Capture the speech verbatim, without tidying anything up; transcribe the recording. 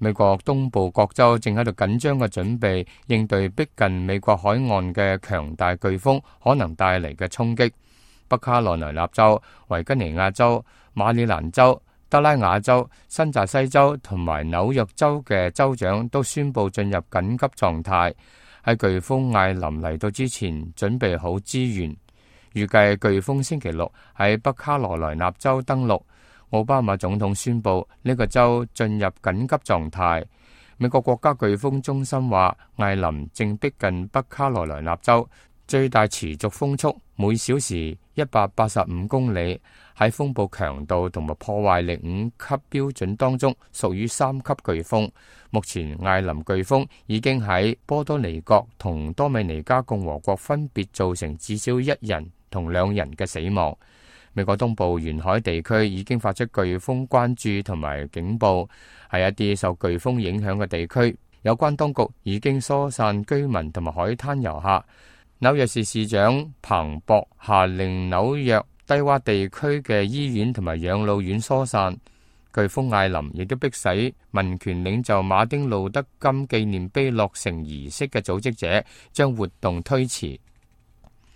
美國東部各州正喺度緊張嘅準備應對逼近美國海岸嘅強大颶風可能帶嚟嘅衝擊。北卡羅來納州、維吉尼亞州、馬里蘭州、德拉瓦州、新澤西州同埋紐約州嘅州長都宣布進入緊急狀態，喺颶風艾琳嚟到之前準備好資源。預計颶風星期六喺北卡羅來納州登陸。奧巴馬總統宣布呢個州進入緊急狀態。美國國家颶風中心話，艾琳正逼近北卡羅來納州，最大持續風速每小時一百八十五公里，喺風暴強度同埋破壞力五級標準當中屬於三級颶風。目前艾琳颶風已經喺波多黎各同多米尼加共和國分別造成至少一人同兩人嘅死亡。美國東部沿海地區已經發出颶風關注同埋警報，喺一啲受颶風影響嘅地區，有關當局已經疏散居民同埋海灘遊客。紐約市市長彭博下令紐約低洼地區嘅醫院同埋養老院疏散。颶風艾琳亦都迫使民權領袖馬丁路德金紀念碑落成儀式嘅組織者將活動推遲。